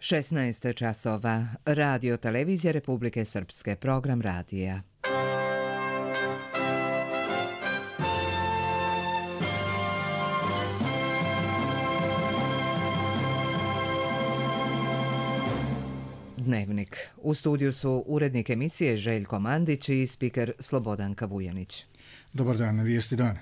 16 časova. Radio televizija Republike Srpske. Program radija. Dnevnik. U studiju su urednik emisije Željko Mandić i spiker Slobodanka Vujanić. Dobar dan, vijesti dana.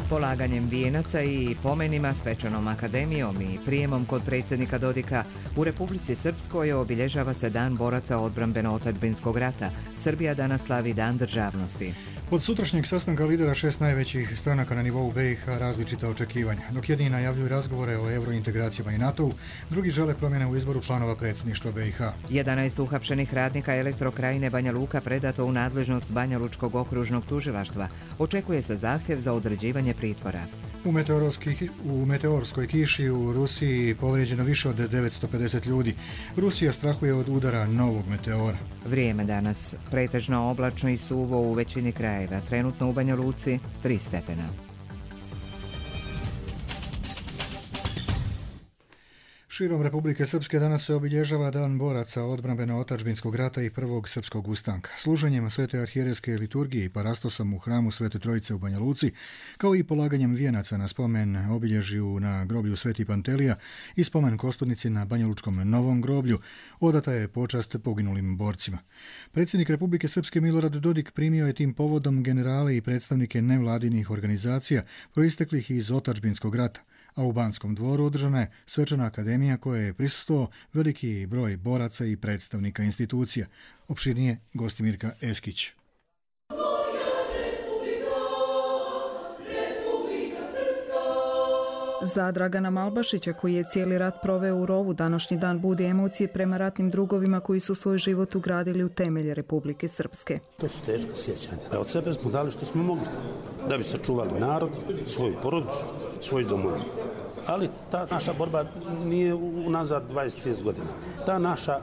Polaganjem vijenaca i pomenima, svečanom akademijom i prijemom kod predsjednika Dodika u Republici Srpskoj obilježava se Dan boraca odbrambeno-otadžbinskog rata. Srbija danas slavi Dan državnosti. Od sutrašnjeg sastanka lidera 6 najvećih stranaka na nivou BiH različita očekivanja. Dok jedni najavljuju razgovore o eurointegracijama i NATO-u, drugi žele promjene u izboru članova predsjedništva BiH. 11 uhapšenih radnika Elektrokrajine Banja Luka predato u nadležnost Banja Lučkog okružnog tužilaštva. Očekuje se zahtjev za određivanje pritvora. U meteorskoj kiši u Rusiji povrijeđeno više od 950 ljudi. Rusija strahuje od udara novog meteora. Vrijeme danas. Pretežno oblačno i suvo u većini krajeva. Trenutno u Banja Luci 3 stepena. Širom Republike Srpske danas se obilježava Dan boraca odbrambeno-otadžbinskog rata i prvog srpskog ustanka. Služenjem Svete arhijerejske liturgije i parastosom u hramu Svete Trojice u Banja Luci, kao i polaganjem vijenaca na spomen obilježju na groblju Sveti Pantelija i spomen kosturnici na Banjalučkom novom groblju, odata je počast poginulim borcima. Predsjednik Republike Srpske Milorad Dodik primio je tim povodom generale i predstavnike nevladinih organizacija proisteklih iz otadžbinskog rata, a u Banskom dvoru održana je svečana akademija koje je prisustvovao veliki broj boraca i predstavnika institucija. Opširnije Gostimirka Eskić. Za Dragana Malbašića, koji je cijeli rat proveo u rovu, današnji dan budi emocije prema ratnim drugovima koji su svoj život ugradili u temelje Republike Srpske. To su teška sjećanja. Od sebe smo dali što smo mogli, da bi sačuvali narod, svoju porodicu, svoju domovinu. Ali ta naša borba nije unazad 20-30 godina. Ta naša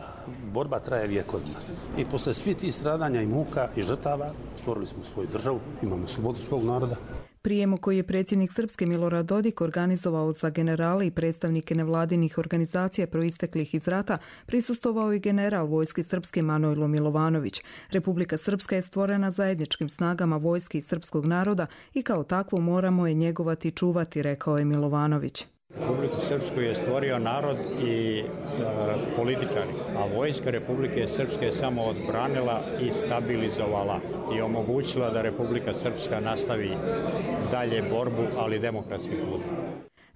borba traje vjekovima. I posle svih tih stradanja i muka i žrtava stvorili smo svoju državu, imamo slobodu svog naroda. Prijemu koji je predsjednik Srpske Milorad Dodik organizovao za generale i predstavnike nevladinih organizacija proisteklih iz rata prisustvovao i general vojske Srpske Manojlo Milovanović. Republika Srpska je stvorena zajedničkim snagama vojske i srpskog naroda i kao takvu moramo je njegovati i čuvati, rekao je Milovanović. Republiku Srpsku je stvorio narod i političari, a vojska Republike Srpske je samo odbranila i stabilizovala i omogućila da Republika Srpska nastavi dalje borbu, ali demokratskim putem.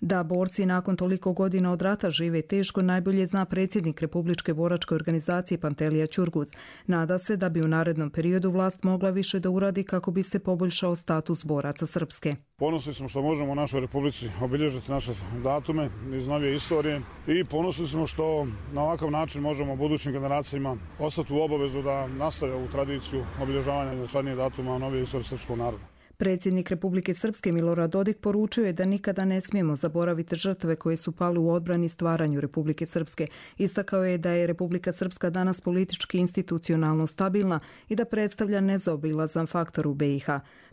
Da borci nakon toliko godina od rata žive teško najbolje zna predsjednik Republičke boračke organizacije Pantelija Ćurguz. Nada se da bi u narednom periodu vlast mogla više da uradi kako bi se poboljšao status boraca Srpske. Ponosni smo što možemo u našoj Republici obilježiti naše datume iz novije istorije i ponosni smo što na ovakav način možemo budućim generacijama ostati u obavezu da nastave ovu tradiciju obilježavanja značajnijih datuma u novije istorije srpskog naroda. Predsjednik Republike Srpske Milorad Dodik poručio je da nikada ne smijemo zaboraviti žrtve koje su pali u odbrani stvaranju Republike Srpske. Istakao je da je Republika Srpska danas politički institucionalno stabilna i da predstavlja nezaobilazan faktor u BiH.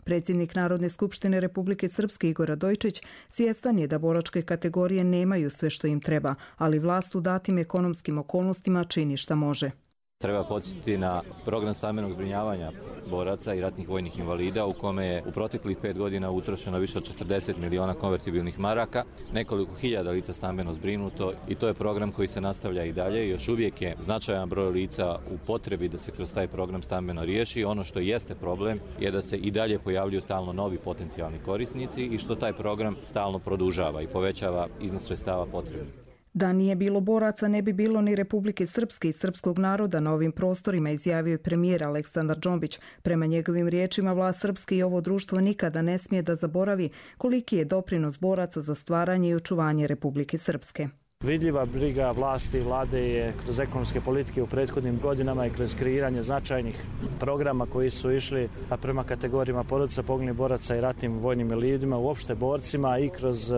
Predsjednik Narodne skupštine Republike Srpske Igor Radojčić svjestan je da boračke kategorije nemaju sve što im treba, ali vlast u datim ekonomskim okolnostima čini šta može. Treba podsjetiti na program stambenog zbrinjavanja boraca i ratnih vojnih invalida u kome je u proteklih 5 godina utrošeno više od 40 miliona konvertibilnih maraka, nekoliko hiljada lica stambeno zbrinuto i to je program koji se nastavlja i dalje. Još uvijek je značajan broj lica u potrebi da se kroz taj program stambeno riješi. Ono što jeste problem je da se i dalje pojavljuju stalno novi potencijalni korisnici i što taj program stalno produžava i povećava iznos sredstava potrebnih. Da nije bilo boraca, ne bi bilo ni Republike Srpske i srpskog naroda na ovim prostorima, izjavio je premijer Aleksandar Džombić. Prema njegovim riječima, vlast Srpske i ovo društvo nikada ne smije da zaboravi koliki je doprinos boraca za stvaranje i očuvanje Republike Srpske. Vidljiva briga vlasti i vlade je kroz ekonomske politike u prethodnim godinama i kroz kreiranje značajnih programa koji su išli prema kategorijama porodica poginulih boraca i ratnim vojnim invalidima, uopšte borcima i kroz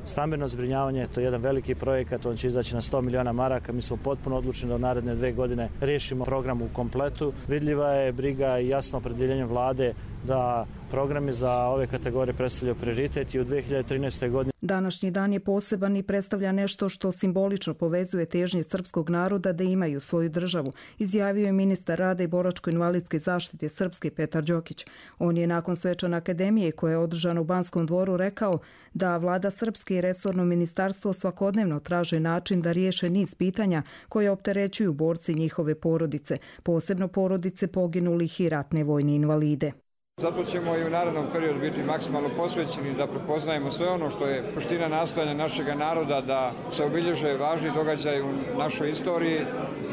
stambeno zbrinjavanje. To je jedan veliki projekat, on će izaći na 100 miliona maraka. Mi smo potpuno odlučeni da u naredne 2 godine riješimo program u kompletu. Vidljiva je briga i jasno opredjeljenje vlade da programi za ove kategorije predstavljaju prioritet i u 2013. godini. Današnji dan je poseban i predstavlja nešto što simbolično povezuje težnje srpskog naroda da imaju svoju državu, izjavio je ministar rada i boračko-invalidske zaštite Srpske Petar Đokić. On je nakon svečane akademije koja je održana u Banskom dvoru rekao da vlada Srpske i resorno ministarstvo svakodnevno traže način da riješe niz pitanja koje opterećuju borci i njihove porodice, posebno porodice poginulih i ratne vojne invalide. Zato ćemo i u narednom periodu biti maksimalno posvećeni da prepoznajemo sve ono što je suština nastojanja našeg naroda da se obilježe važni događaji u našoj istoriji,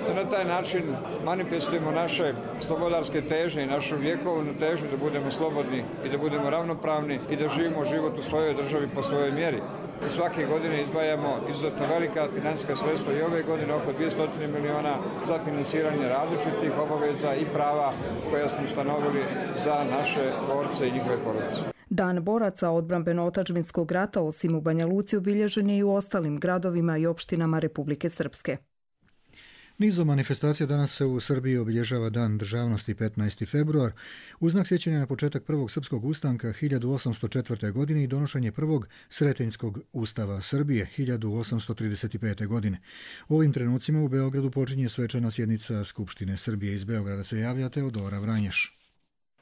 da na taj način manifestujemo naše slobodarske težnje i našu vjekovnu težnju da budemo slobodni i da budemo ravnopravni i da živimo život u svojoj državi po svojoj mjeri. I svake godine izdvajamo izuzetno velika financijska sredstva i ove godine oko 200 miliona za finansiranje različitih obaveza i prava koja smo ustanovili za naše borce i njihove porodice. Dan boraca odbrambeno-otadžbinskog rata osim u Banja Luci obilježen je i u ostalim gradovima i opštinama Republike Srpske. Nizom manifestacija danas se u Srbiji obilježava Dan državnosti 15. februar, u znak sjećanja na početak prvog srpskog ustanka 1804. godine i donošenje prvog Sretenjskog ustava Srbije 1835. godine. U ovim trenucima u Beogradu počinje svečana sjednica Skupštine Srbije. Iz Beograda se javlja Teodora Vranješ.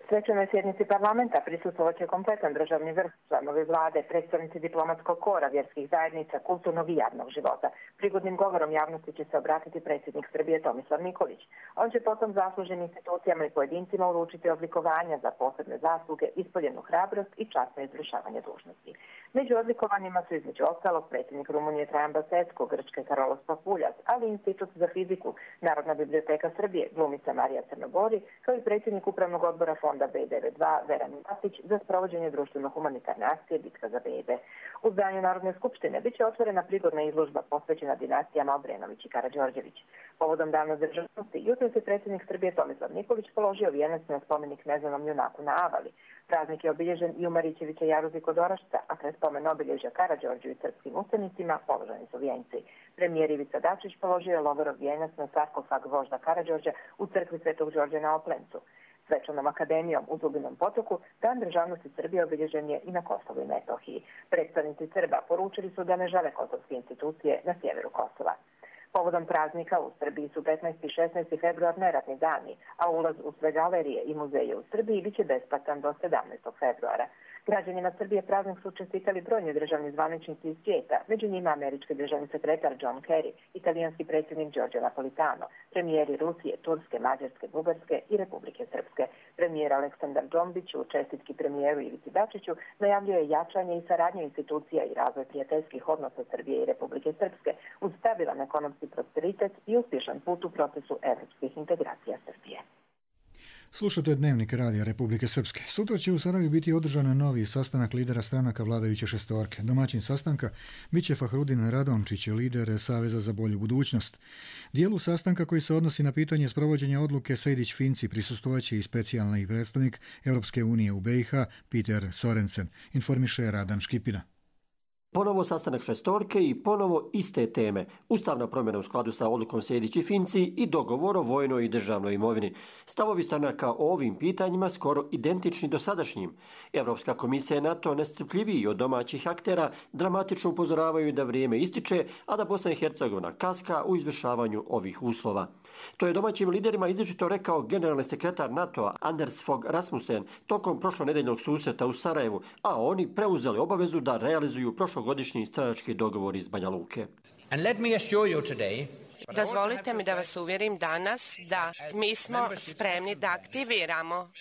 Svečanoj sjednici parlamenta prisustvovat će kompletan državni vrh, članovi vlade, predstavnici diplomatskog kora, vjerskih zajednica, kulturnog i javnog života. Prigodnim govorom javnosti će se obratiti predsjednik Srbije Tomislav Nikolić. On će potom zasluženim institucijama i pojedincima uručiti odlikovanja za posebne zasluge, ispoljenu hrabrost i časno izvršavanje dužnosti. Među odlikovanjima su između ostalog predsjednik Rumunije Trajan Basecko, Grčke Karolos Papuljas, ali i Institut za fiziku, Narodna biblioteka Srbije, glumica Marija Crnogori, kao i predsjednik upravnog odbora fonda B92 Veran Matić za sprovođenje društveno-humanitarne akcije Bitka za bebe. U zdanju Narodne skupštine biće otvorena prigodna izložba posvećena dinastijama Obrenović i Karađorđević. Povodom Dana državnosti, jutros je predsjednik Srbije Tomislav Nikolić položio vijenac na spomenik neznanom junaku na Avali. Praznik je obilježen i u Marićevića jaruzi kod Orašca, a kraj spomen obilježja Karađorđu i srpskim ustanicima položeni su vijenci. Premijer Ivica Dačić položio je lovorov vijenac na sarkofag vožda Karađorđa u crkvi Svetog Đorđa na Oplencu. Svečanom akademijom u Zubinom potoku Dan državnosti Srbije obilježen je i na Kosovu i Metohiji. Predstavnici Srba poručili su da ne žele kosovske institucije na sjeveru Kosova. Povodom praznika u Srbiji su 15. i 16. februar neradni dani, a ulaz u sve galerije i muzeje u Srbiji biće besplatan do 17. februara. Građanima Srbije praznik su čestitali brojni državni zvaničnici iz svijeta, među njima američki državni sekretar John Kerry, italijanski predsjednik Giorgio Napolitano, premijeri Rusije, Turske, Mađarske, Bugarske i Republike Srpske. Premijer Aleksandar Džombić u čestitki premijeru Ivici Dačiću najavljuje jačanje i saradnju institucija i razvoj prijateljskih odnosa Srbije i Republike Srpske uz stabilan ekonomski prosperitet i uspješan put u procesu evropskih integracija Srbije. Slušate Dnevnik Radija Republike Srpske. Sutra će u Sarajevu biti održan novi sastanak lidera stranaka vladajuće šestorke. Domaćin sastanka biće Fahrudin Radomčić, lider Saveza za bolju budućnost. Dijelu sastanka koji se odnosi na pitanje sprovođenja odluke Sejdić-Finci prisustvovaće i specijalni predstavnik Europske unije u BiH Peter Sorensen, informiše Radan Škipina. Ponovo sastanak šestorke i ponovo iste teme. Ustavna promjena u skladu sa odlukom Sejdić i Finci i dogovor o vojnoj i državnoj imovini. Stavovi stranaka o ovim pitanjima skoro identični dosadašnjim. Evropska komisija i NATO nestrpljiviji od domaćih aktera dramatično upozoravaju da vrijeme ističe, a da Bosna i Hercegovina kaska u izvršavanju ovih uslova. To je domaćim liderima izričito rekao generalni sekretar NATO-a Anders Fogh Rasmussen tokom prošlonedeljnog susreta u Sarajevu, a oni preuzeli obavezu da realizuju prošlogodišnji stranački dogovor iz Banja Luke. Dozvolite mi da vas uvjerim danas da mi smo spremni da aktiviramo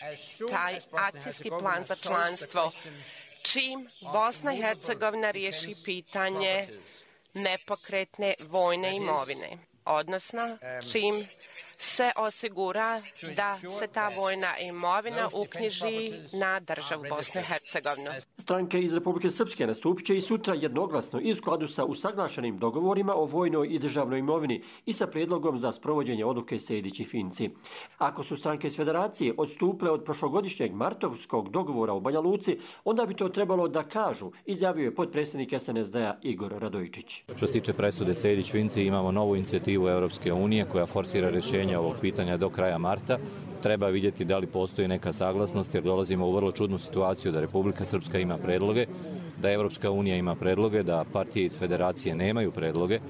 taj akcijski plan za članstvo čim Bosna i Hercegovina riješi pitanje nepokretne vojne imovine, odnosno čim se osigura da se ta vojna imovina uknjiži na državu Bosnu i Hercegovinu. Stranke iz Republike Srpske nastupit će i sutra jednoglasno i u skladu sa usaglašenim dogovorima o vojnoj i državnoj imovini i sa prijedlogom za sprovođenje odluke Sejdić i Finci. Ako su stranke iz federacije odstupile od prošlogodišnjeg martovskog dogovora u Banja Luci, onda bi to trebalo da kažu, izjavio je potpredsjednik SNSD-a Igor Radojičić. Što se tiče presude Sejdić-Finci, imamo novu inicijativu inicijativu Europske unije koja forsira rješenje ovog pitanja do kraja marta. Treba vidjeti da li postoji neka saglasnost, jer dolazimo u vrlo čudnu situaciju da Republika Srpska ima predloge, da Europska unija ima predloge, da partije iz federacije nemaju predloge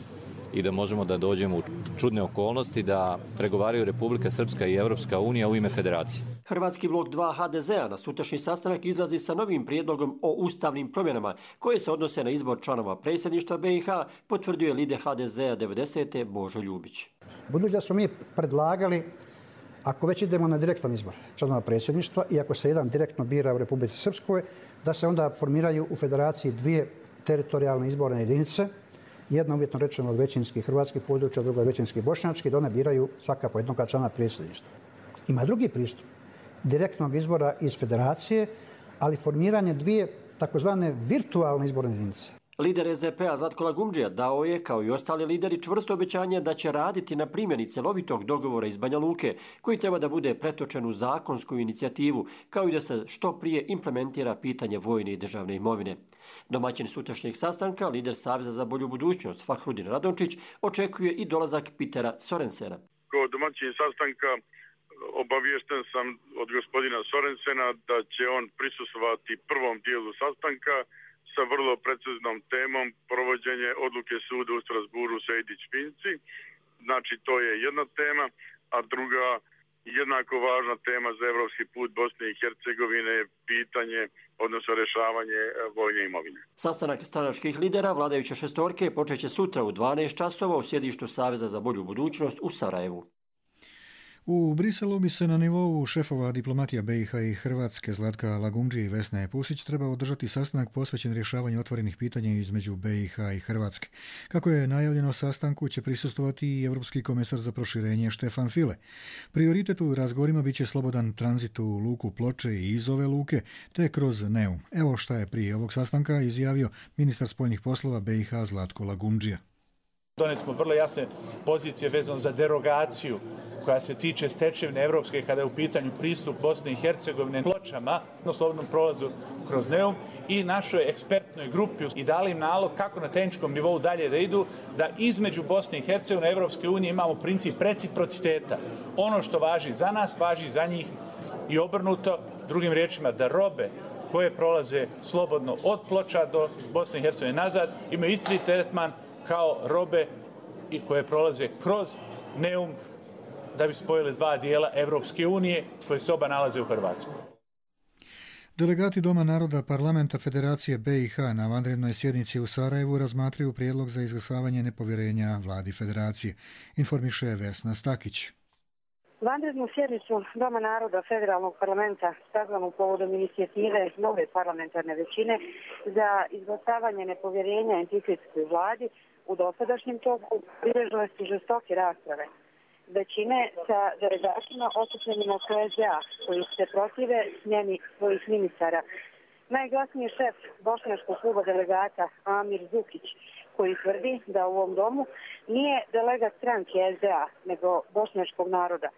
i da možemo da dođemo u čudne okolnosti da pregovaraju Republika Srpska i Europska unija u ime federacije. Hrvatski blok 2 HDZ-a na sutrašnji sastanak izlazi sa novim prijedlogom o ustavnim promjenama koje se odnose na izbor članova predsjedništva BiH, potvrdio je lider HDZ-a 90. Božo Ljubić. Budući da smo mi predlagali, ako već idemo na direktan izbor članova predsjedništva i ako se jedan direktno bira u Republici Srpskoj, da se onda formiraju u federaciji dvije teritorijalne izborne jedinice, jedna uvjetno rečeno od većinskih hrvatskih područja, druga od većinskih bošnjačkih, da one biraju svaka po jednog člana predsjedništva. Ima drugi pristup direktnog izbora iz federacije, ali formiranje dvije takozvane virtualne izborne jedinice. Lider SDP-a Zlatko Lagumdžija dao je, kao i ostali lideri, čvrsto obećanje da će raditi na primjeni cjelovitog dogovora iz Banja Luke, koji treba da bude pretočen u zakonsku inicijativu, kao i da se što prije implementira pitanje vojne i državne imovine. Domaćin sutrašnjeg sastanka, lider Saveza za bolju budućnost Fahrudin Radončić, očekuje i dolazak Petera Sorensena. Kao domaćin sastanka obaviješten sam od gospodina Sorensena da će on prisustvovati prvom dijelu sastanka sa vrlo preciznom temom provođenje odluke suda u Strasburu Sejdić-Finci. Znači, to je jedna tema, a druga jednako važna tema za evropski put Bosne i Hercegovine je pitanje, odnosno rješavanje vojne imovine. Sastanak stranačkih lidera vladajuće šestorke počeće sutra u 12 časova u sjedištu Saveza za bolju budućnost u Sarajevu. U Briselu bi se na nivou šefova diplomatija BiH i Hrvatske Zlatka Lagumdžije i Vesne Pusić trebao održati sastanak posvećen rješavanju otvorenih pitanja između BiH i Hrvatske. Kako je najavljeno, sastanku će prisustvovati i Europski komesar za proširenje Štefan File. Prioritet u razgovorima bit će slobodan tranzit u luku Ploče i iz ove luke, te kroz Neum. Evo šta je prije ovog sastanka izjavio ministar spoljnih poslova BiH Zlatko Lagumdžija. Donijeli smo vrlo jasne pozicije vezano za derogaciju koja se tiče stečevine evropske kada je u pitanju pristup Bosne i Hercegovine Pločama na slobodnom prolazu kroz Neum i našoj ekspertnoj grupi i dali im nalog kako na tehničkom nivou dalje da idu, da između Bosne i Hercegovine i Evropske unije imamo princip reciprociteta. Ono što važi za nas, važi za njih i obrnuto, drugim riječima da robe koje prolaze slobodno od Ploča do Bosne i Hercegovine nazad imaju isti tretman kao robe i koje prolaze kroz Neum da bi spojili dva dijela Evropske unije koje se oba nalaze u Hrvatskoj. Delegati Doma naroda Parlamenta Federacije BiH na vanrednoj sjednici u Sarajevu razmatraju prijedlog za izglasavanje nepovjerenja vladi Federacije, informiše Vesna Stakić. Vanrednu sjednicu Doma naroda Federalnog parlamenta sazvanu povodom inicijative nove parlamentarne većine za izglasavanje nepovjerenja entitetskoj vladi u dosadašnjem toku bilježile su žestoke rasprave. Većine sa delegatima okupljenima SDA koji se protive smjeni svojih ministara. Najglasniji šef bošnjačkog kluba delegata Amir Zukić, koji tvrdi da u ovom domu nije delegat stranke SDA, nego bošnjačkog naroda.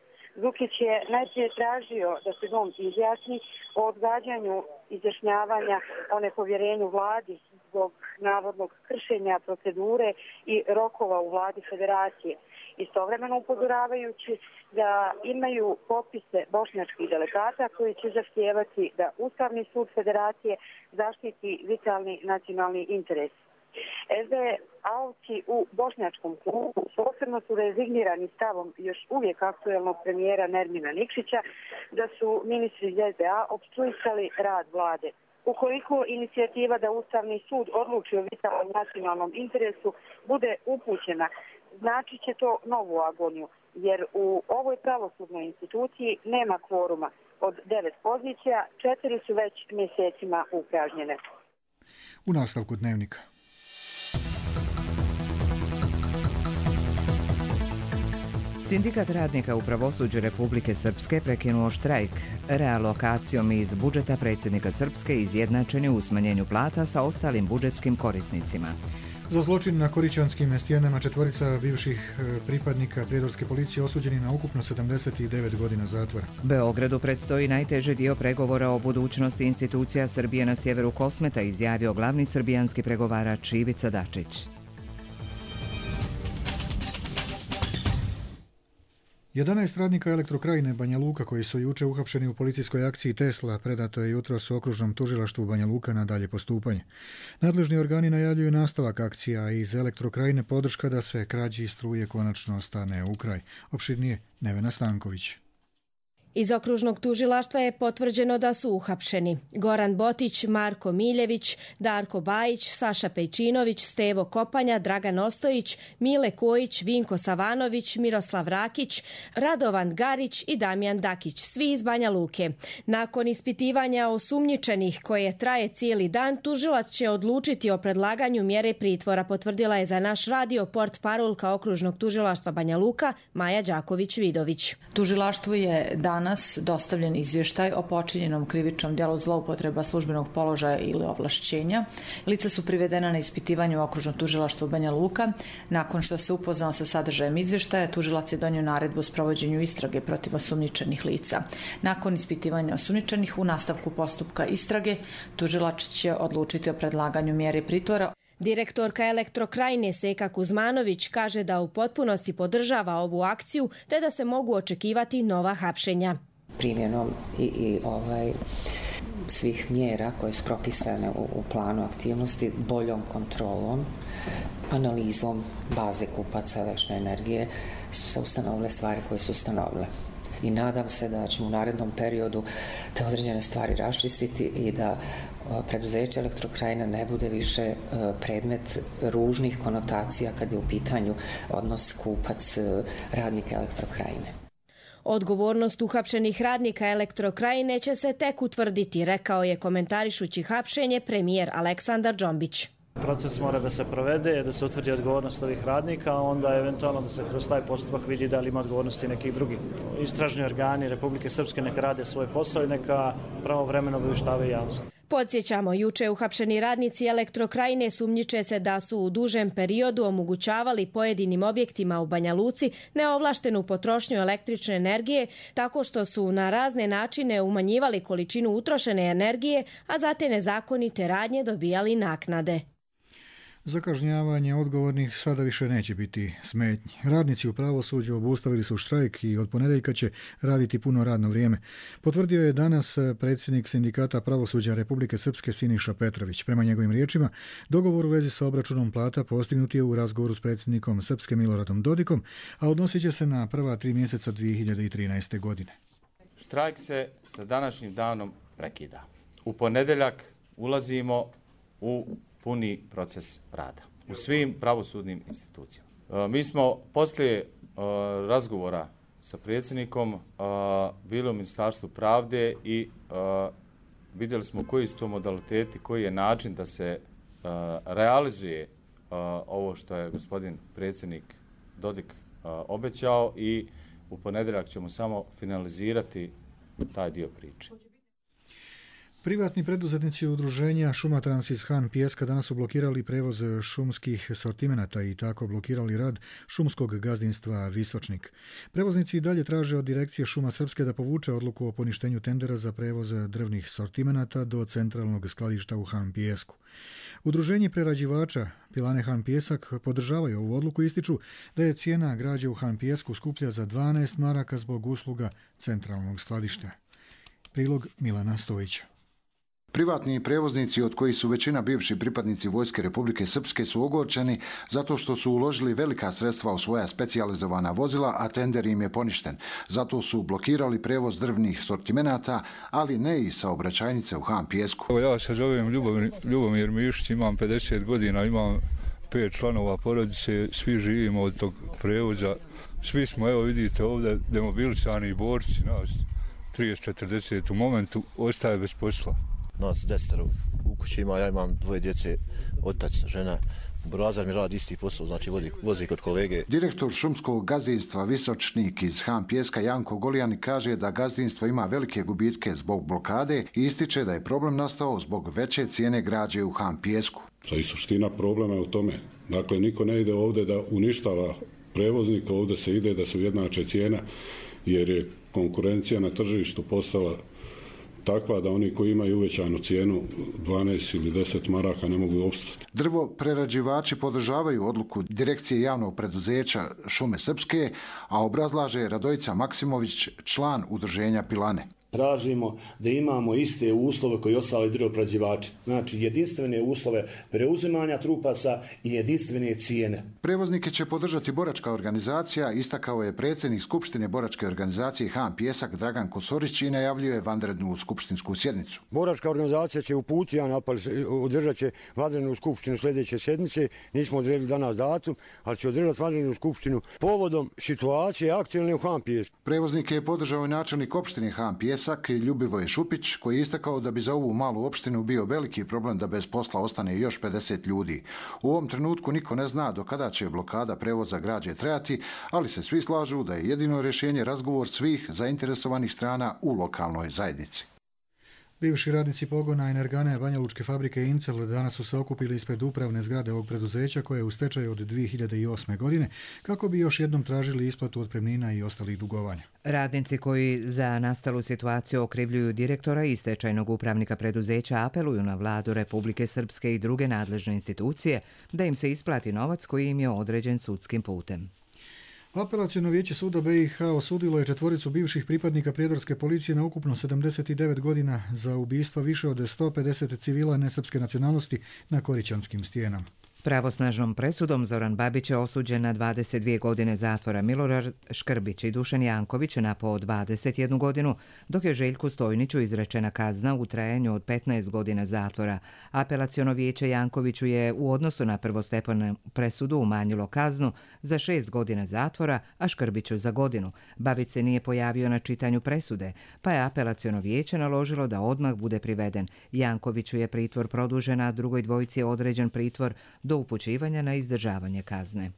Zukić je najprije tražio da se dom izjasni o odgađanju izjašnjavanja o nepovjerenju vladi zbog navodnog kršenja procedure i rokova u vladi Federacije. Istovremeno upozoravajući da imaju popise bošnjačkih delegata koji će zahtijevati da Ustavni sud Federacije zaštiti vitalni nacionalni interes. SD-ovci u bošnjačkom klubu posebno su rezignirani stavom još uvijek aktuelnog premijera Nermina Nikšića da su ministri iz SDA opstruisali rad vlade. Ukoliko inicijativa da Ustavni sud odluči o vitalnom nacionalnom interesu bude upućena, znači će to novu agoniju, jer u ovoj pravosudnoj instituciji nema kvoruma. Od 9 pozicija, 4 su već mjesecima upražnjene. U nastavku dnevnika. Sindikat radnika u pravosuđu Republike Srpske prekinuo štrajk. Realokacijom iz budžeta predsjednika Srpske izjednačen je u smanjenju plata sa ostalim budžetskim korisnicima. Za zločin na Korićanskim stijenama 4 bivših pripadnika prijedorske policije osuđeni na ukupno 79 godina zatvora. Beogradu predstoji najteži dio pregovora o budućnosti institucija Srbije na sjeveru Kosmeta, izjavio glavni srbijanski pregovarač Ivica Dačić. 11 radnika Elektrokrajine Banja Luka koji su juče uhapšeni u policijskoj akciji Tesla predato je jutros u okružnom tužilaštvu Banja Luka na dalje postupanje. Nadležni organi najavljuju nastavak akcija, a iz Elektrokrajine podrška da se krađi struje konačno stane u kraj. Opširnije Nevena Stanković. Iz okružnog tužilaštva je potvrđeno da su uhapšeni Goran Botić, Marko Miljević, Darko Bajić, Saša Pejčinović, Stevo Kopanja, Dragan Ostojić, Mile Kojić, Vinko Savanović, Miroslav Rakić, Radovan Garić i Damjan Dakić, svi iz Banja Luke. Nakon ispitivanja osumnjičenih koje traje cijeli dan, tužilac će odlučiti o predlaganju mjere pritvora, potvrdila je za naš radio portparolka okružnog tužilaštva Banja Luka Maja Đaković-Vidović. Tužilaštvu je danas dostavljen izvještaj o počinjenom krivičnom djelu zloupotreba službenog položaja ili ovlašćenja. Lica su privedena na ispitivanje u okružnom tužilaštvu Banja Luka. Nakon što se upoznao sa sadržajem izvještaja, tužilac je donio naredbu o sprovođenju istrage protiv osumnjičenih lica. Nakon ispitivanja osumnjičenih u nastavku postupka istrage, tužilac će odlučiti o predlaganju mjere pritvora. Direktorka Elektrokrajine Seka Kuzmanović kaže da u potpunosti podržava ovu akciju te da se mogu očekivati nova hapšenja. Primjenom svih mjera koje su propisane u planu aktivnosti, boljom kontrolom, analizom baze kupaca električne energije su se ustanovile stvari koje su ustanovile. I nadam se da ćemo u narednom periodu te određene stvari raščistiti i da preduzeće Elektrokrajina ne bude više predmet ružnih konotacija kad je u pitanju odnos kupac radnika Elektrokrajine. Odgovornost uhapšenih radnika Elektrokrajine će se tek utvrditi, rekao je komentarišući hapšenje premijer Aleksandar Džombić. Proces mora da se provede, da se utvrdi odgovornost ovih radnika, a onda eventualno da se kroz taj postupak vidi da li ima odgovornosti nekih drugih. Istražni organi Republike Srpske neka rade svoj posao i neka pravovremeno obavještavaju javnost. Podsjećamo, juče uhapšeni radnici Elektrokrajine sumnjiče se da su u dužem periodu omogućavali pojedinim objektima u Banja Luci neovlaštenu potrošnju električne energije tako što su na razne načine umanjivali količinu utrošene energije, a za te nezakonite radnje dobijali naknade. Za kažnjavanje odgovornih sada više neće biti smetnji. Radnici u pravosuđu obustavili su štrajk i od ponedjeljka će raditi puno radno vrijeme. Potvrdio je danas predsjednik Sindikata pravosuđa Republike Srpske Siniša Petrović. Prema njegovim riječima, dogovor u vezi sa obračunom plata postignut je u razgovoru s predsjednikom Srpske Miloradom Dodikom, a odnosit će se na prva 3 mjeseca 2013. godine. Štrajk se sa današnjim danom prekida. U ponedjeljak ulazimo u puni proces rada u svim pravosudnim institucijama. Mi smo poslije razgovora sa predsjednikom bili u Ministarstvu pravde i vidjeli smo koji su to modaliteti, koji je način da se realizuje ovo što je gospodin predsjednik Dodik obećao i u ponedjeljak ćemo samo finalizirati taj dio priče. Privatni preduzetnici udruženja Šumatrans iz Han Pijeska danas su blokirali prevoz šumskih sortimenata i tako blokirali rad šumskog gazdinstva Visočnik. Prevoznici i dalje traže od direkcije Šuma Srpske da povuče odluku o poništenju tendera za prevoz drvnih sortimenata do centralnog skladišta u Han Pijesku. Udruženje prerađivača Pilane Han Pijesak podržavaju ovu odluku i ističu da je cijena građe u Han Pijesku skuplja za 12 maraka zbog usluga centralnog skladišta. Prilog Milana Stojića. Privatni prevoznici, od kojih su većina bivši pripadnici Vojske Republike Srpske, su ogorčeni zato što su uložili velika sredstva u svoja specijalizovana vozila, a tender im je poništen. Zato su blokirali prevoz drvnih sortimenata, ali ne i saobraćajnice u Han Pijesku. Ja se zovem Ljubomir Mišić, imam 50 godina, imam 5 članova porodice, svi živimo od tog prevoza. Svi smo, evo vidite ovdje, demobilisani borci, nas 30-40 u momentu ostaje bez posla. Nas 10 u kući ima, ja imam 2 djece, otac, žena. Burazar mi radi isti posao, znači vozi kod kolege. Direktor šumskog gazdinstva Visočnik iz Han Pijeska Janko Golijani kaže da gazdinstvo ima velike gubitke zbog blokade i ističe da je problem nastao zbog veće cijene građe u Han Pijesku. I suština problema je u tome. Dakle, niko ne ide ovdje da uništava prevoznika, ovdje se ide da se ujednače cijena, jer je konkurencija na tržištu postala takva da oni koji imaju uvećanu cijenu 12 ili 10 maraka ne mogu opstati. Drvo prerađivači podržavaju odluku direkcije javnog preduzeća Šume Srpske, a obrazlaže Radojica Maksimović, član udruženja Pilane. Tražimo da imamo iste uslove koji ostali drvoprerađivači. Znači jedinstvene uslove preuzimanja trupaca i jedinstvene cijene. Prevoznike će podržati boračka organizacija, istakao je predsjednik Skupštine boračke organizacije Han Pjesak Dragan Kosorić i najavljuje vanrednu skupštinsku sjednicu. Boračka organizacija će uputiti jedan apel, održat će vanrednu skupštinu sljedeće sedmice. Nismo odredili danas datum, ali će održati vanrednu skupštinu povodom situacije aktualne u Han Pjesku. Prevoznike je podržao i načelnik opštine Han Pjesak Ljubivoje Šupić, koji je istakao da bi za ovu malu opštinu bio veliki problem da bez posla ostane još 50 ljudi. U ovom trenutku niko ne zna do kada će blokada prevoza građe trajati, ali se svi slažu da je jedino rješenje razgovor svih zainteresovanih strana u lokalnoj zajednici. Bivši radnici pogona Energane Banja Lučke fabrike Incel danas su se okupili ispred upravne zgrade ovog preduzeća koje je u stečaju od 2008. godine kako bi još jednom tražili isplatu otpremnina i ostalih dugovanja. Radnici koji za nastalu situaciju okrivljuju direktora i stečajnog upravnika preduzeća apeluju na vladu Republike Srpske i druge nadležne institucije da im se isplati novac koji im je određen sudskim putem. Apelaciono vijeće suda BiH osudilo je 4 bivših pripadnika prijedorske policije na ukupno 79 godina za ubistva više od 150 civila nesrpske nacionalnosti na Korićanskim stijenama. Pravosnažnom presudom Zoran Babić je osuđen na 22 godine zatvora, Milorad Škrbić i Dušan Janković na po 21 godinu, dok je Željku Stojniću izrečena kazna u trajanju od 15 godina zatvora. Apelaciono vijeće Jankoviću je u odnosu na prvostepenu presudu umanjilo kaznu za 6 godina zatvora, a Škrbiću za godinu. Babić se nije pojavio na čitanju presude, pa je apelaciono vijeće naložilo da odmah bude priveden. Jankoviću je pritvor produžen, a drugoj dvojici je određen pritvor do upućivanja na izdržavanje kazne.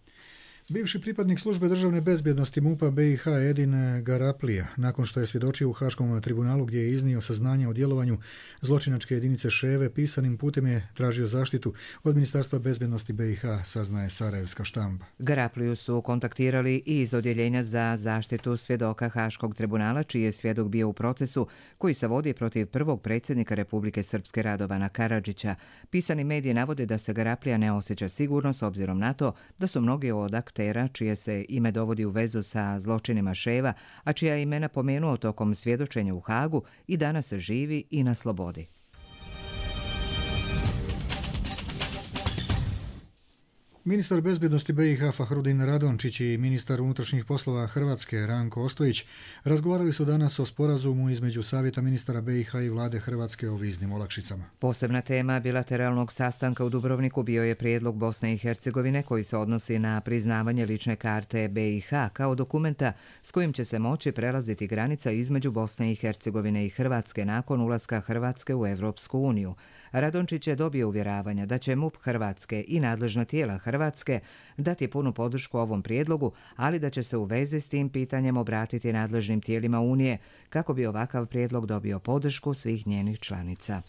Bivši pripadnik službe državne bezbjednosti MUP-a BiH Edin Garaplija, nakon što je svjedočio u Haškom tribunalu gdje je iznio saznanja o djelovanju zločinačke jedinice Ševe, pisanim putem je tražio zaštitu od Ministarstva bezbjednosti BiH, saznaje Sarajevska štampa. Garapliju su kontaktirali i iz odjeljenja za zaštitu svjedoka Haškog tribunala, čiji je svjedok bio u procesu koji se vodi protiv prvog predsjednika Republike Srpske Radovana Karadžića. Pisani mediji navode da se Garaplija ne osjeća sigurno s obzirom na to da su mnogi od aktera čije se ime dovodi u vezu sa zločinima Ševa, a čija imena pomenuo tokom svjedočenja u Hagu, i danas se živi i na slobodi. Ministar bezbjednosti BiH Fahrudin Radončić i ministar unutrašnjih poslova Hrvatske Ranko Ostojić razgovarali su danas o sporazumu između Savjeta ministara BiH i vlade Hrvatske o viznim olakšicama. Posebna tema bilateralnog sastanka u Dubrovniku bio je prijedlog Bosne i Hercegovine koji se odnosi na priznavanje lične karte BiH kao dokumenta s kojim će se moći prelaziti granica između Bosne i Hercegovine i Hrvatske nakon ulaska Hrvatske u Evropsku uniju. Radončić je dobio uvjeravanja da će MUP Hrvatske i nadležna tijela Hrvatske dati punu podršku ovom prijedlogu, ali da će se u vezi s tim pitanjem obratiti nadležnim tijelima Unije kako bi ovakav prijedlog dobio podršku svih njenih članica.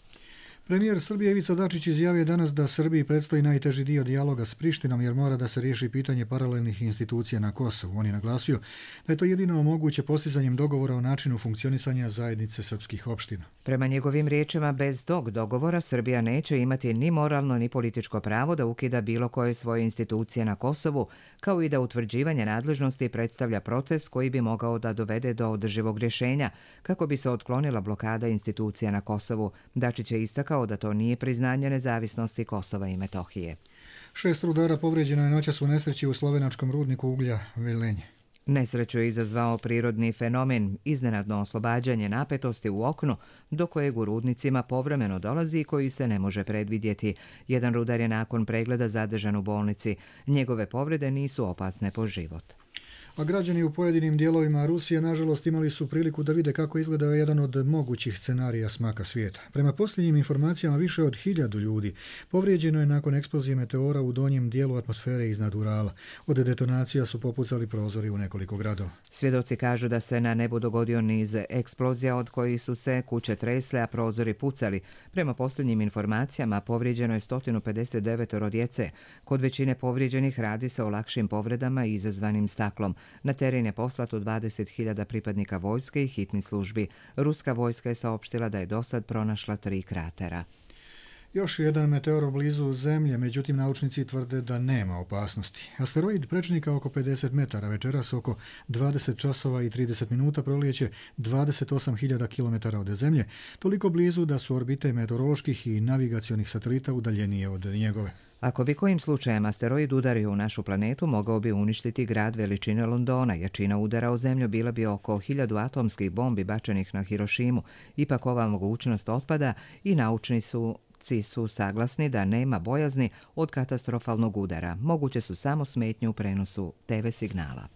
Premijer Srbije Ivica Dačić izjavio danas da Srbiji predstoji najteži dio dijaloga s Prištinom jer mora da se riješi pitanje paralelnih institucija na Kosovu. On je naglasio da je to jedino moguće postizanjem dogovora o načinu funkcionisanja zajednice srpskih opština. Prema njegovim riječima, bez tog dogovora Srbija neće imati ni moralno ni političko pravo da ukida bilo koje svoje institucije na Kosovu, kao i da utvrđivanje nadležnosti predstavlja proces koji bi mogao da dovede do održivog rješenja kako bi se otklonila blokada institucija na Kosovu. Dačić je istakao da to nije priznanje nezavisnosti Kosova i Metohije. 6 rudara povrijeđeno je noćas u nesreći u slovenačkom rudniku uglja Velenje. Nesreću je izazvao prirodni fenomen, iznenadno oslobađanje napetosti u oknu do kojeg u rudnicima povremeno dolazi i koji se ne može predvidjeti. Jedan rudar je nakon pregleda zadržan u bolnici. Njegove povrede nisu opasne po život. A građani u pojedinim dijelovima Rusije nažalost imali su priliku da vide kako izgleda jedan od mogućih scenarija smaka svijeta. Prema posljednjim informacijama više od 1000 ljudi povrijeđeno je nakon eksplozije meteora u donjem dijelu atmosfere iznad Urala. Od detonacija su popucali prozori u nekoliko gradova. Svjedoci kažu da se na nebu dogodio niz eksplozija od kojih su se kuće tresle, a prozori pucali. Prema posljednjim informacijama povrijeđeno je 159 djece. Kod većine povrijeđenih radi se o lakšim povredama izazvanim staklom. Na teren je poslato 20.000 pripadnika vojske i hitnih službi. Ruska vojska je saopštila da je dosad pronašla 3 kratera. Još jedan meteor blizu Zemlje, međutim naučnici tvrde da nema opasnosti. Asteroid prečnika oko 50 metara večeras oko 20 časova i 30 minuta prolijeće 28.000 km od Zemlje, toliko blizu da su orbite meteoroloških i navigacionih satelita udaljenije od njegove. Ako bi kojim slučajem asteroid udario u našu planetu, mogao bi uništiti grad veličine Londona. Jačina udara o Zemlju bila bi oko 1000 atomskih bombi bačenih na Hirošimu. Ipak ova mogućnost otpada i naučnici su saglasni da nema bojazni od katastrofalnog udara. Moguće su samo smetnje u prenosu TV signala.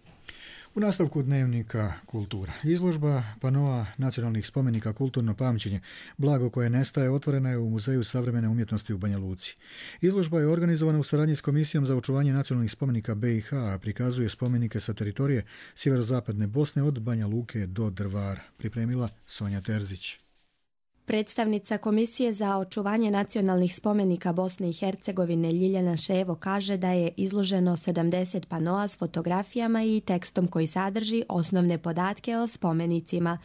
U nastavku dnevnika kultura. Izložba panoa nacionalnih spomenika Kulturno pamćenje, blago koje nestaje, otvorena je u Muzeju savremene umjetnosti u Banja Luci. Izložba je organizovana u saradnji s Komisijom za očuvanje nacionalnih spomenika BiH, a prikazuje spomenike sa teritorije sjeverozapadne Bosne od Banja Luke do Drvara. Pripremila Sonja Terzić. Predstavnica Komisije za očuvanje nacionalnih spomenika Bosne i Hercegovine Ljiljana Ševo kaže da je izloženo 70 panoa s fotografijama i tekstom koji sadrži osnovne podatke o spomenicima.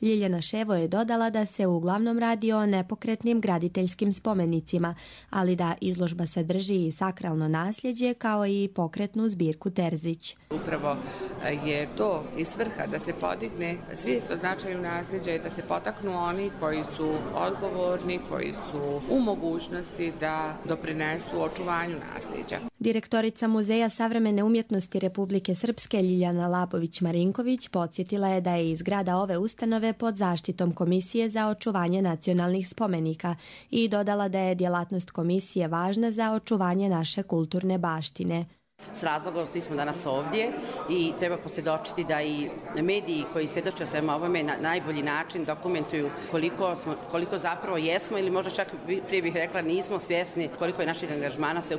Ljiljana Ševo je dodala da se uglavnom radi o nepokretnim graditeljskim spomenicima, ali da izložba sadrži i sakralno nasljeđe kao i pokretnu zbirku Terzić. Upravo je to i svrha da se podigne svijest o značaju nasljeđa i da se potaknu oni koji su odgovorni, koji su u mogućnosti da doprinesu očuvanju nasljeđa. Direktorica Muzeja savremene umjetnosti Republike Srpske Ljiljana Labović-Marinković podsjetila je da je iz zgrada ove ustanove pod zaštitom Komisije za očuvanje nacionalnih spomenika i dodala da je djelatnost komisije važna za očuvanje naše kulturne baštine. S razlogom svi smo danas ovdje i treba posvjedočiti da i mediji koji svjedoče o svema ovome na najbolji način dokumentuju koliko zapravo jesmo ili možda čak prije bih rekla nismo svjesni koliko je naših angažmana sve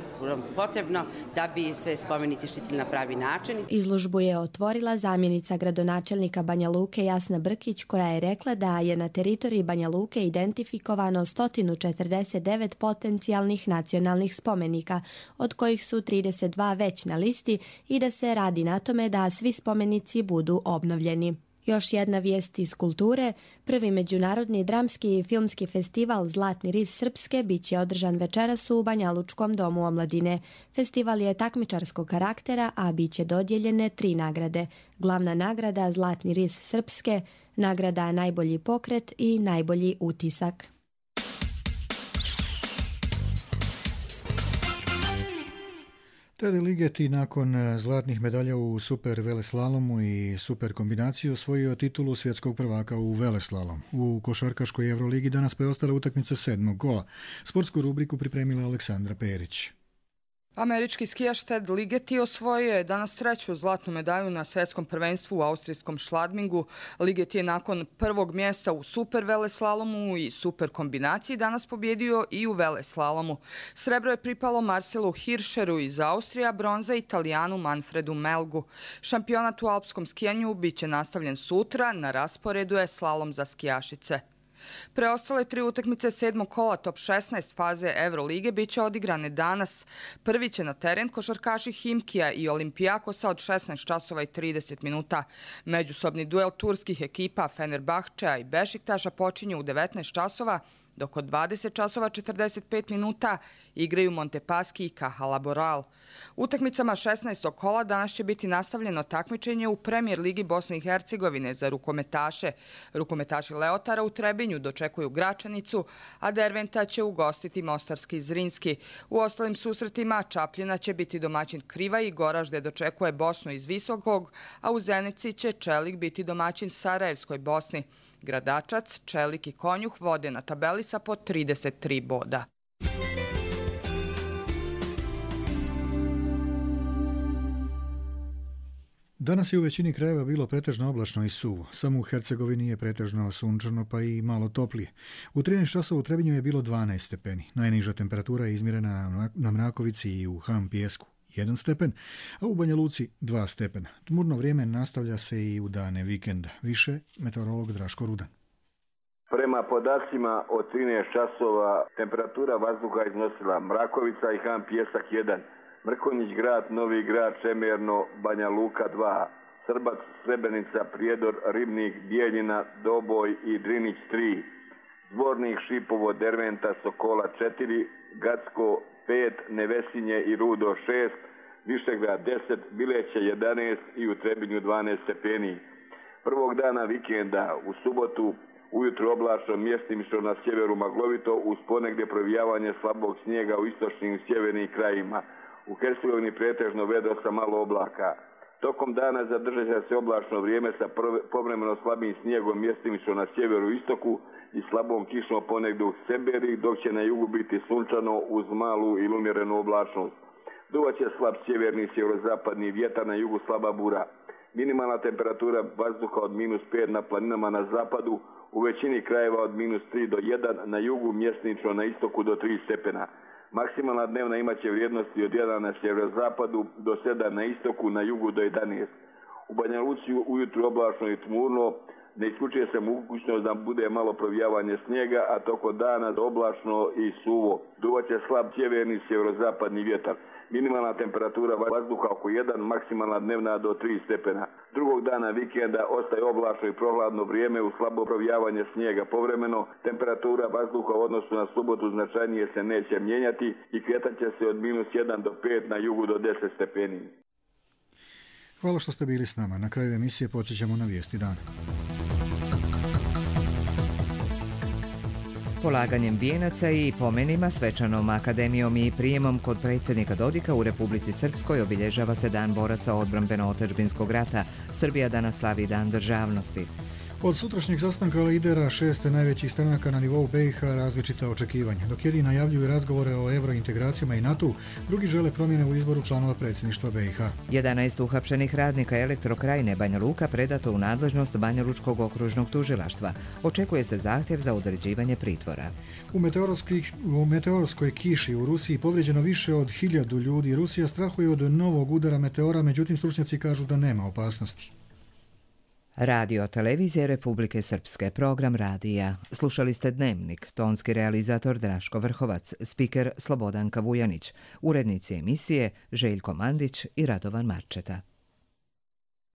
potrebno da bi se spomenici štitili na pravi način. Izložbu je otvorila zamjenica gradonačelnika Banja Luke Jasna Brkić koja je rekla da je na teritoriji Banja Luke identifikovano 149 potencijalnih nacionalnih spomenika, od kojih su 32 već na listi i da se radi na tome da svi spomenici budu obnovljeni. Još jedna vijest iz kulture. Prvi međunarodni dramski i filmski festival Zlatni ris Srpske bit će održan večeras u Banjalučkom domu omladine. Festival je takmičarskog karaktera, a bit će dodijeljene 3 nagrade. Glavna nagrada Zlatni ris Srpske, nagrada Najbolji pokret i Najbolji utisak. Teddy Ligeti nakon zlatnih medalja u super veleslalomu i super kombinaciju osvojio titulu svjetskog prvaka u veleslalom. U košarkaškoj Euroligi danas preostala utakmica 7. kola. Sportsku rubriku pripremila Aleksandra Perić. Američki skijaš Ted Ligeti osvojio je danas 3. zlatnu medalju na svjetskom prvenstvu u austrijskom Šladmingu. Ligeti je nakon prvog mjesta u super veleslalomu i super kombinaciji danas pobjedio i u veleslalomu. Srebro je pripalo Marcelu Hirscheru iz Austrije, a bronza Italijanu Manfredu Melgu. Šampionat u alpskom skijanju bit će nastavljen sutra, na rasporedu je slalom za skijašice. Preostale 3 utakmice 7. kola top 16 faze Eurolige bit će odigrane danas. Prvi će na teren košarkaši Himkija i Olimpijakosa od 16 časova i 30 minuta. Međusobni duel turskih ekipa Fenerbahčea i Bešiktaša počinje u 19 časova, dok od 20 časova 45 minuta igraju Montepaschi i Caja Laboral. Utakmicama 16. kola danas će biti nastavljeno takmičenje u Premijer ligi Bosne i Hercegovine za rukometaše. Rukometaši Leotara u Trebinju dočekuju Gračanicu, a Derventa će ugostiti Mostarski Zrinski. U ostalim susretima Čapljina će biti domaćin Kriva i Goražde dočekuje Bosnu iz Visokog, a u Zenici će Čelik biti domaćin Sarajevskoj Bosni. Gradačac, Čelik i Konjuh vode na tabeli sa po 33 boda. Danas je u većini krajeva bilo pretežno oblačno i suvo. Samo u Hercegovini je pretežno sunčano pa i malo toplije. U 13 časova u Trebinju je bilo 12 stepeni. Najniža temperatura je izmjerena na Mrakovici i u Ham Pijesku 1 stepen, a u Banja Luci 2 stepena. Tmurno vrijeme nastavlja se i u dane vikenda. Više meteorolog Draško Rudan. Prema podacima od 13 časova temperatura vazduha iznosila Mrakovica i Ham Pijesak 1, Mrkonjić grad, Novi grad, Čemerno, Banja Luka 2, Srbac, Srebrenica, Prijedor, Ribnik, Bijeljina, Doboj i Drinić 3, Zvornik, Šipovo, Derventa, Sokola 4, Gacko 5, Nevesinje i Rudo 6, Višegrad 10, Bileće 11 i u Trebinju 12 stepeni. Prvog dana vikenda u subotu ujutro oblačno, mjestimično na sjeveru maglovito, uz ponegdje provijavanje slabog snijega u istočnim i sjevernim krajima. U Hercegovini pretežno vedro sa malo oblaka. Tokom dana zadržat će se oblačno vrijeme sa povremeno slabim snijegom mjestimično na sjeveru i istoku i slabom kišom ponegdje u Seberi, dok će na jugu biti sunčano uz malu ili umjerenu oblačnost. Duvaće slab sjeverni sjeverozapadni vjetar, na jugu slaba bura. Minimalna temperatura vazduha od -5 na planinama na zapadu, u većini krajeva od -3 do 1, na jugu mjesnično na istoku do 3 stepena. Maksimalna dnevna imaće vrijednosti od 1 na sjeverozapadu do 7 na istoku, na jugu do 11. U Banja Luci ujutru oblačno i tmurno, ne isključuje se mogućnost da bude malo provijavanje snijega, a tokom dana oblačno i suvo. Duvaće slab sjeverni sjeverozapadni vjetar. Minimalna temperatura vazduha oko 1, maksimalna dnevna do 3 stepena. Drugog dana vikenda ostaje oblačno i prohladno vrijeme u slabo provijavanje snijega povremeno. Temperatura vazduha u odnosu na subotu značajnije se neće mijenjati i kretat će se od -1 do 5, na jugu do 10 stepeni. Hvala što ste bili s nama. Na kraju emisije podsjećamo na vijesti dana. Polaganjem vijenaca i pomenima, svečanom akademijom i prijemom kod predsjednika Dodika u Republici Srpskoj obilježava se Dan boraca odbrambeno-otadžbinskog rata. Srbija danas slavi Dan državnosti. Od sutrašnjeg sastanka lidera 6 najvećih stranaka na nivou BiH različita očekivanja. Dok jedni najavljuju razgovore o eurointegracijama i NATO, drugi žele promjene u izboru članova predsjedništva BiH. 11 uhapšenih radnika Elektrokrajine Banja Luka predato u nadležnost Banjalučkog okružnog tužilaštva. Očekuje se zahtjev za određivanje pritvora. U meteorskoj kiši u Rusiji povrijeđeno više od 1000 ljudi. Rusija strahuje od novog udara meteora, međutim stručnjaci kažu da nema opasnosti. Radio televizije Republike Srpske, program radija. Slušali ste Dnevnik, tonski realizator Draško Vrhovac, spiker Slobodanka Vujanić, urednici emisije Željko Mandić i Radovan Marčeta.